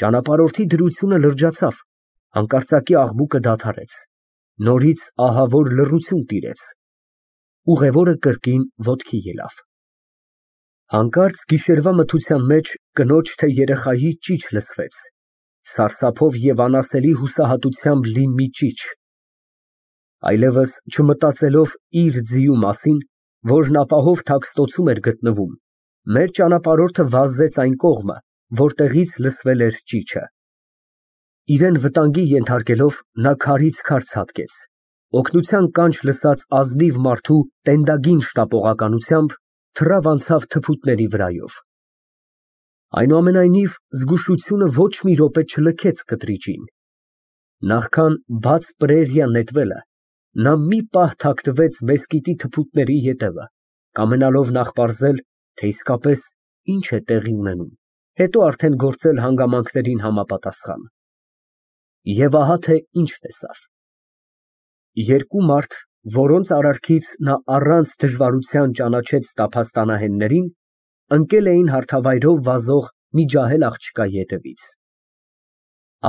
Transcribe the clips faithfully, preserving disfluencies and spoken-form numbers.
Ճանապարհորդի դրությունը լրջացավ, հանկարծակի աղմուկը դադարեց, նորից ահավոր լռություն տիրեց, ուղևորը կրկին ոտքի ելավ։ Հանկարծ գիշերվա մթության մեջ կնոջ թե երեխայի ճիչ լսվեց, սարսափով և անասելի հուսահատությամբ լի մի ճիչ։ Այլևս չմտածելով իր ձիու մասին, որն ապահով թաքստոցում էր գտնվում, մեր ճանապարհորդը վազեց այն կողմը, որտեղից լսվել էր ճիչը։ Իրան վտանգի ենթարկելով, նա քարից քար ցատկեց, օգնության կանչ լսած ազնիվ մարդու տենդագին շտապողականությամբ թռավ անցավ թփուտների վրայով։ Այնուամենայնիվ, զգուշությունը ոչ մի րոպե չլքեց կտրիճին։ Նախքան բաց պրերիա նետվելը, նա մի պահ թաքնվեց մեսկիթի թփուտների ետևը, կամենալով նախ պարզել, թե իսկապես ինչ է տեղի ունենում, հետո արդեն գործել հանգամանքներին համապատասխան։ Եվ ահա թե ինչ տեսավ։ Երկու մարդ, որոնց արարքից նա առանց դժվարության ճանաչեց տափաստանահեններին, ընկել էին հարթավայրով վազող մի ջահել աղջկայի ետևից։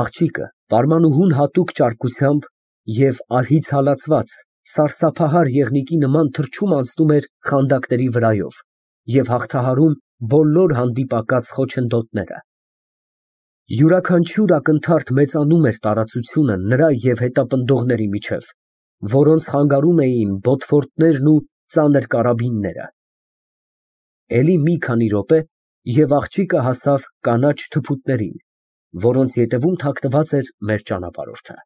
Աղջիկը պարմանուհուն հատուկ ճարպկությամբ և արհից հալածված, սարսափահար եղնիկի նման թռչում անցնում էր խանդակների վրայով և հաղթահարում բոլոր հանդիպակաց խոչընդոտները։ Յուրաքանչյուր ակնթարթ մեծանում էր տարածությունը նրա և հետապնդողների միջև, որոնց խանգարում էին բոթֆորտներն ու ծանր կարաբինները։ Էլի մի քանի րոպե, և աղջիկը հասավ կանաչ թփուտներին, որոնց ետևում թաքնված էր մեր ճանապարհորդը։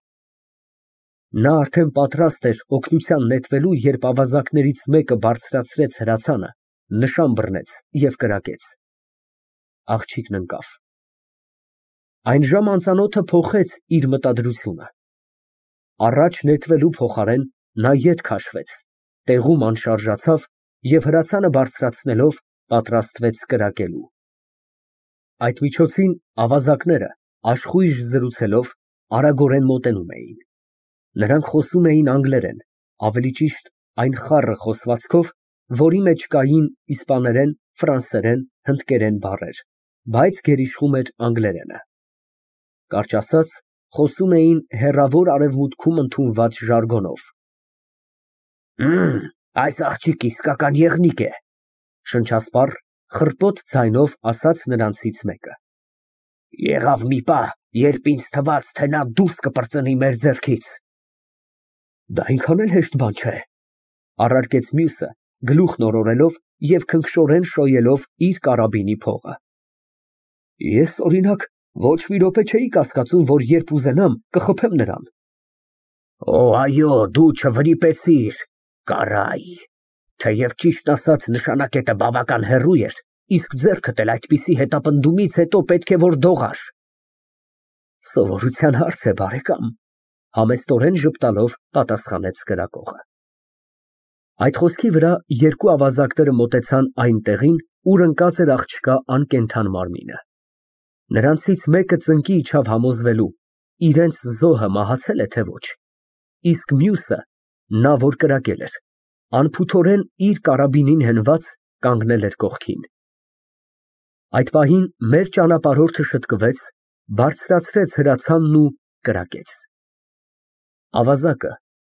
Նա արդեն պատրաստ էր օգնության նետվելու, երբ ավազակներից մեկը բարձրացրեց հրացանը, նշան բռնեց և կրակեց։ Աղջիկն ընկավ։ Այն ժամ անծանոթը փոխեց իր մտադրությունը։ Առաջ նետվելու փոխարեն նա ետ քաշվեց, տեղում անշարժացավ և հրացանը բարձրացնելով, պատրաստվեց կրակելու։ Այդ միջոցին ավազակները, աշխույժ զրուցելով, արագորեն մոտենում էին։ Նրանք խոսում էին անգլերեն, ավելի ճիշտ այն խառը խոսվածքով, որի մեջ կային իսպաներեն, ֆրանսերեն, հնդկերեն բառեր, բայց գերիշխում էր անգլերենը։ Կարճ ասած, խոսում էին հեռավոր արևմուտքում ընդունված ժարգոնով։ Այս աղջիկը իսկական եղնիկ է, շնչասպառ, խռպոտ ձայնով ասաց նրանցից մեկը։ Եղավ մի պահ, երբ ինձ թվաց, թե նա դուրս կպրծնի մեր ձեռքից։ Դա այնքան էլ հեշտ բան չէ, առարկեց մյուսը, գլուխն օրորելով և քնքշորեն շոյելով իր կարաբինի փողը։ Ես, օրինակ, ոչ մի րոպե չէի կասկածում, որ երբ ուզենամ, կխփեմ նրան։ Օ, այո, դու չվրիպեցիր, կարայ, թեև ճիշտն ասած նշանակետը բավական հեռու էր, իսկ ձեռքդ էլ այդպիսի հետապնդումից հետո պետք է որ դողար։ Սովորության հարց է, բարեկամ, համեստորեն ժպտալով պատասխանեց կրակողը։ Այդ խոսքի վրա երկու ավազակները մոտեցան այն տեղին, ուր ընկած էր աղջկա անկենդան մարմինը։ Նրանցից մեկը ծնկի իջավ համոզվելու, իրենց զոհը մահացել է, թե ոչ, իսկ մյուսը, նա, որ կրակել էր, անփութորեն իր կարաբինին հենված, կանգնել էր կողքին։ Այդ պահին մեր ճանապարհորդը շտկվեց, բարձրացրեց հրացանն ու կրակեց։ Ավազակը,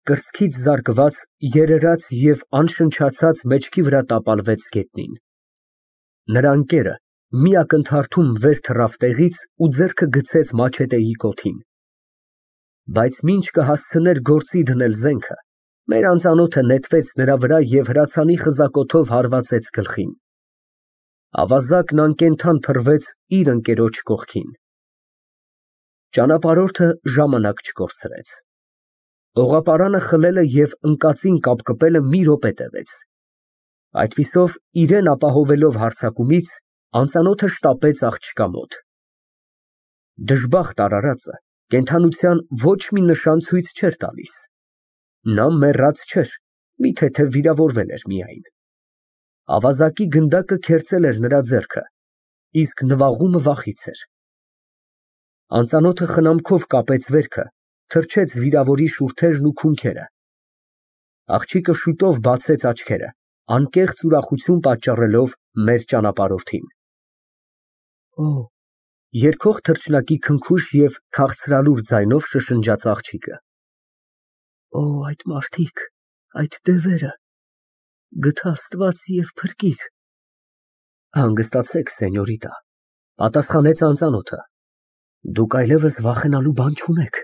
կրծքից զարկված, երերաց և անշնչացած մեջքի վրա տապալվեց գետնին։ Նրա ընկերը մի ակնթարթում վեր թռավ տեղից ու ձեռքը գցեց մաչետեի կոթին։ Բայց մինչ կհասցներ գործի դնել զենքը, մեր անծանոթը նետվեց նրա վրա և հրացանի խզակոթով հարվածեց գլխին։ Ավազակն անկենդան փռվեց իր ընկերոջ կողքին։ Ճանապարհորդը ժամանակ չկորցրեց։ Օղապարանը խլելը և ընկածին կապկպելը մի րոպե տևեց։ Այդպիսով, իրան ապահովելով հարձակումից, անծանոթը շտապեց աղջկա մոտ։ Դժբախտ արարածը կենդանության ոչ մի նշան ցույց չէր տալիս։ Նա մեռած չէր, մի թեթև վիրավորվել էր միայն։ Ավազակի գնդակը քերծել էր նրա ձեռքը, իսկ նվաղումը վախից էր։ Անծանոթը խնամքով կապեց վերքը, թրջեց վիրավորի շուրթերն ու քունքերը։ Աղջիկը շուտով բացեց աչքերը, անկեղծ ուրախություն պատճառելով մեր ճանապարհորդին։ Երգող թռչնակի քնքուշ և քաղցրալուր ձայնով շշնջաց աղջիկը)։ Օ, այդ մարդիկ, այդ դևերը, գթ Աստված և փրկիր։ Հանգստացեք, սենյորիտա, պատասխանեց անծանոթը, դուք այլևս վախենալու բան չունեք։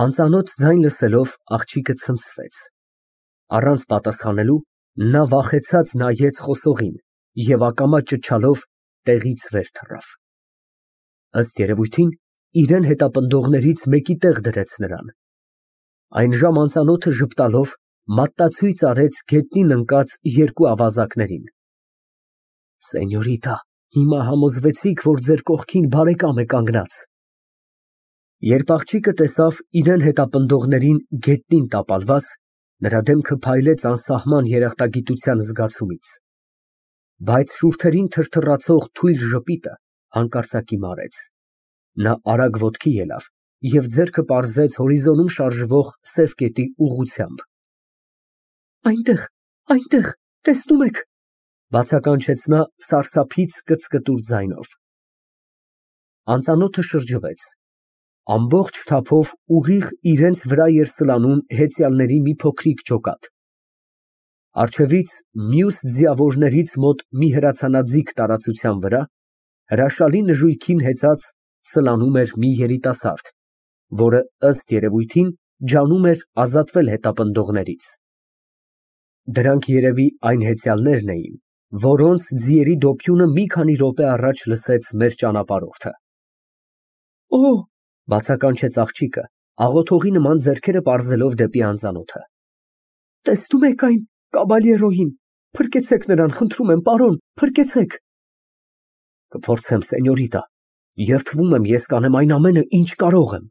Անծանոթ ձայն լսելով աղջիկը ցնցվեց, առանց պատասխանելու նա վախեցած նայեց խոսողին և ակամա ճչալով տեղից վեր թռավ։ Ըստ երևույթին, իրան հետապնդողներից մեկի տեղ դրեց նրան։ Այնժամ անծանոթը ժպտալով մատնացույց արեց գետնին ընկած երկու ավազակներին։ Սենյորիտա, հիմա համոզվեցիք, որ ձեր կողքին բարեկամ է կանգնած։ Երբ աղջիկը տեսավ իրան հետապնդողներին գետնին տապալված, նրա դեմքը փայլեց անսահման երախտագիտության զգացումից, բայց շուրթերին թրթռացող թույլ ժպիտը հանկարծակի մարեց։ Նա արագ ոտքի ելավ և ձեռքը պարզեց հորիզոնում շարժվող սև կետի ուղղությամբ։ Այնտեղ, այնտեղ, տեսնո՞ւմ եք, բացականչեց նա սարսափից կծկտուր ձայնով։ Անծանոթը շրջվեց, ամբողջ թափով ուղիղ իրենց վրա էր սլանում հեծյալների մի փոքրիկ ջոկատ։ Առջևից, մյուս ձիավորներից մոտ մի հրացանաձիգ տարածության վրա, հրաշալի նժույգին հեծած սլանում էր մի երիտասարդ, որը, ըստ երևույթին, ջանում էր ազատվել հետապնդողներից։ Դրանք երևի այն հեծյալներն էին, որոնց ձիերի դոփյունը մի քանի րոպե առաջ լսեց մեր ճանապարհորդը։ Օ, բացականչեց աղջիկը, աղոթողի նման ձեռքերը պարզելով դեպի անծանոթը։ Տեսնո՞ւմ եք այն կաբալյերոյին, փրկեցեք նրան, խնդրում եմ, պարոն, փրկեցեք։ Կփորձեմ, սենյորիտա, երդվում եմ, ես կանեմ այն ամենը, ինչ կարող եմ,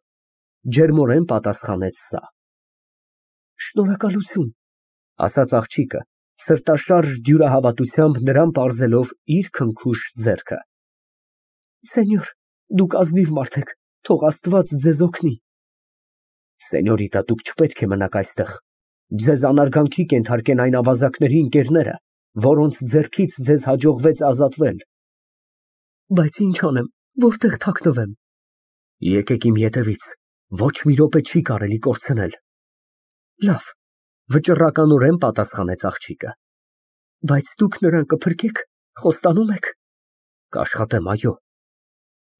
ջերմորեն պատասխանեց սա։ Շնորհակալություն, ասաց աղջիկը, սրտաշարժ դյուրահավատությամբ նրան պարզելով իր քնքուշ ձեռքը։ Սենյոր, դուք ազնիվ մարդ եք, թող Աստված ձեզ օգնի։ Սենյորիտա, դուք չպետք է մնաք այստեղ, ձեզ անարգանքի կենթարկեն այն ավազակների ընկերները, որոնց ձեռքից ձեզ հաջողվեց ազատվել։ Բայց ինչ անեմ, որտեղ թաքնվեմ։ Եկեք իմ ետևից, ոչ մի րոպե չի կարելի կորցնել։ Լավ, վճռականորեն պատասխանեց աղջիկը։ Բայց դուք նրան կփրկեք, խոստանում եք։ Կաշխատեմ, այո։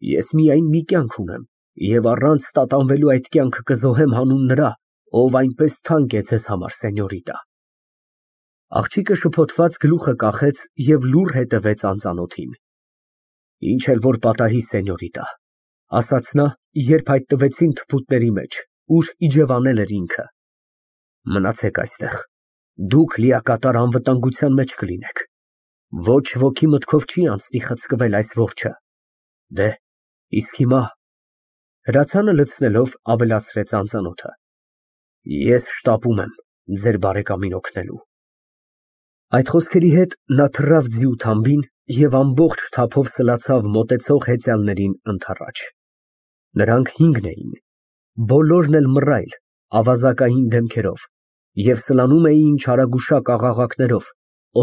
Ես միայն մի կյանք ունեմ, և առանց տատանվելու այդ կյանքը կզոհեմ հանուն նրա, ով այնպես թանկ է ձեզ համար, սենյորիտա։ Աղջիկը շփոթված գլուխը կախեց և լուռ հետևեց անծանոթին։ Ինչ էլ որ պատահի, սենյորիտա, ասաց նա, երբ հայտնվեցին թփուտների մեջ, ուր իջևանել էր ինքը։ Մնացեք այստեղ, դուք լիակատար անվտանգության մեջ կլինեք։ Ոչ ոքի մտքով չի անցնի խցկվել այս որջը։ Դե, իսկ հիմա… Հրացանը լցնելով ավելացրեց անծանոթը, ես շտապում եմ ձեր բարեկամին օգնելու։ Այդ խոսքերի հետ նա թռավ ձիու թամբին և ամբողջ թափով սլացավ մոտեցող հեծյալներին ընդառաջ։ Նրանք հինգն էին, բոլորն էլ մռայլ, ավազակային դեմքերով և սլանում էին չարագուշակ աղաղակներով,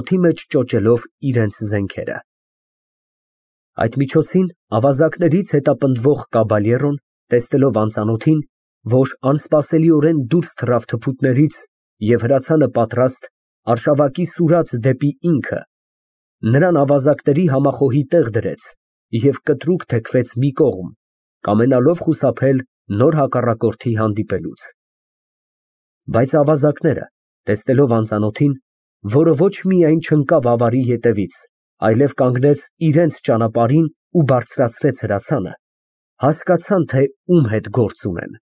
օդի մեջ ճոճելով իրենց զենքերը։ Այդ միջոցին ավազակներից հետապնդվող կաբալյերոն, տեսնելով անծանոթին, որ անսպասելիորեն դուրս թռավ թփուտներից և հրացանը պատրաստ, արշավակի սուրաց դեպի ինքը, նրան ավազակների համախոհի տեղ դրեց և կտրուկ թեքվեց մի կողմ, կամենալով խուսափել նոր հակառակորդի հանդիպելուց։ Բայց ավազակները, տեսնելով անծանոթին, որը ոչ միայն չընկավ ավարի ետևից, այլև կանգնեց իրենց ճանապարհին ու բարձրացրեց հրացանը, հասկացան, թե ում հետ գործ ունեն։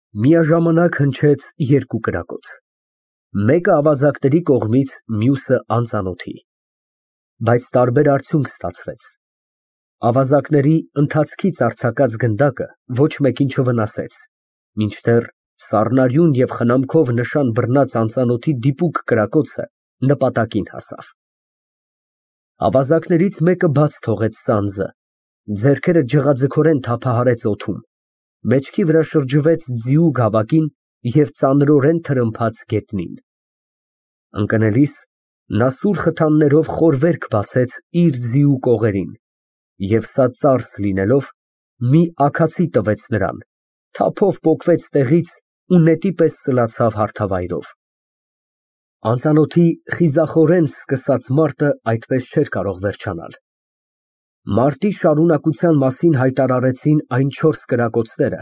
Միաժամանակ հնչեց երկու կրակոց, մեկը ավազակների կողմից, մյուսը անծանոթի։ Բայց տարբեր արդյունք ստացվեց։ Ավազակների ընթացքից արձակած գնդակը ոչ մեկին չվնասեց, մինչդեռ սառնարյուն և խնամքով նշան բռնած անծանոթի դիպուկ կրակոցը նպատակին հասավ։ Ավազակներից մեկը բաց թողեց սանձը, ձեռքերը ջղաձգորեն թափահարեց օդում, մեջքի վրա շրջվեց ձիու գավակին և ծանրորեն թրմփաց գետնին։ Ընկնելիս նա սուր խթաններով խոր վերք բացեց իր ձիու կողերին և սա ծարս լինելով, մի աքացի տվեց նրան, թափով պոկվեց տեղից ու նետի պես սլացավ հարթավայրով։ Անծանոթի խիզախորեն սկսած մարտը այդպես չէր կարող վերջանալ։ Մարտի շարունակության մասին հայտարարեցին այն չորս կրակոցները,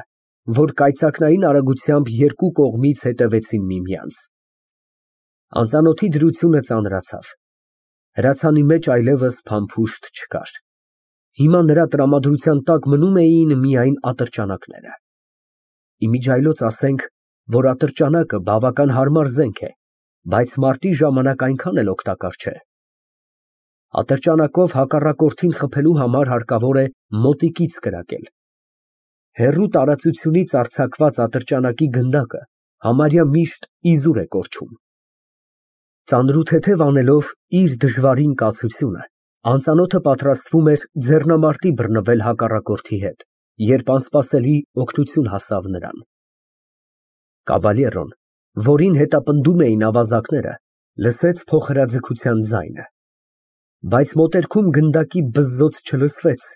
որ կայծակնային արագությամբ երկու կողմից հետևեցին միմյանց։ Անծանոթի դրությունը ծանրացավ։ Հրացանի մեջ այլևս փամփուշտ չկար։ Հիմա նրա տրամադրության տակ մնում էին միայն ատրճանակները։ Իմիջիայլոց ասենք, որ ատրճանակը բավական հարմար զենք է, բայց մարտի ժամանակ այնքան էլ օգտակար չէ։ Ատրճանակով հակառակորդին խփելու համար հարկավոր է մոտիկից կրակել։ Հեռու տարածությունից արձակված ատրճանակի գնդակը համարյա միշտ իզուր է կորչում։ Ծանրութեթև անելով իր դժվարին կացությունը, անծանոթը պատրաստվում էր ձեռնամարտի բռնվել հակառակորդի հետ, երբ անսպասելի օգնություն հասավ նրան։ Կաբալյերոն, որին հետապնդում էին ավազակները, լսեց փոխհրաձգության ձայնը, բայց մոտերքում գնդակի բզզոց չլսվեց,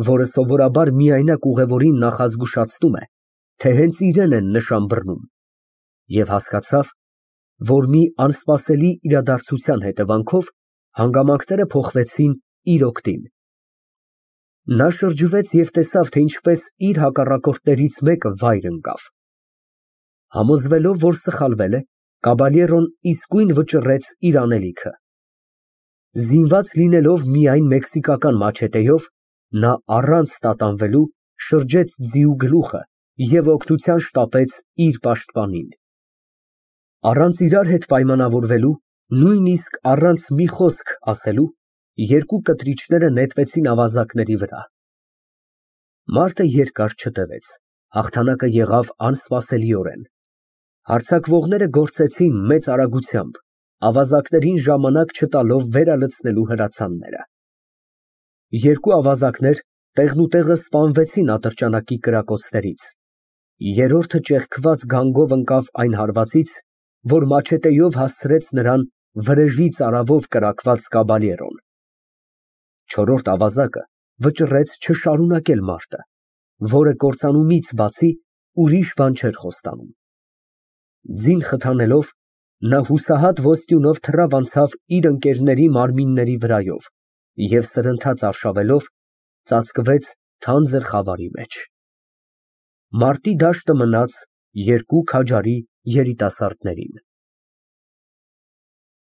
որը սովորաբար միայնակ ուղևորին նախազգուշացնում է, թե հենց իրեն են նշան բռնում, և հասկացավ, որ մի անսպասելի իրադարձության հետևանքով հանգամանքները փոխվեցին իր օգտին։ Նա շրջվեց և տեսավ, թե ինչպես իր հակառակորդներից մեկը վայր ընկավ։ Համոզվելով, որ սխալվել է, Կաբալյերոն իսկույն վճռեց իր անելիքը։ Զինված լինելով միայն մեքսիկական մաչետեով, նա առանց տատանվելու շրջեց ձիու գլուխը և օգնության շտապեց իր պաշտպանին։ Առանց իրար հետ պայմանավորվելու, նույնիսկ առանց մի խոսք ասելու, երկու կտրիչները նետվեցին ավազակների վրա։ Մարտը երկար չտևեց, հաղթանակը եղավ անսպասելիորեն։ Հարձակվողները գործեցին մեծ արագությամբ, ավազակներին ժամանակ չտալով վերալցնելու հրացանները։ Երկու ավազակներ տեղնուտեղը սպանվեցին ատրճանակի կրակոցներից, երրորդը ճեղքված գանգով ընկավ այն հարվածից, որ մաչետեով հասցրեց նրան վրեժի ծարավով կրակված Կաբալյերոն։ Չորրորդ ավազակը վճռեց չշարունակել մարտը, որը կործանումից բացի ուրիշ բան չէր խոստանում։ Ձին խթանելով, նա հուսահատ ոսტյունով թռավ անցավ իր ընկերների մարմինների վրայով և սրընթաց արշավելով ծածկվեց թանձր խավարի մեջ։ Մարտի դաշտը մնաց երկու քաջարի երիտասարդներին։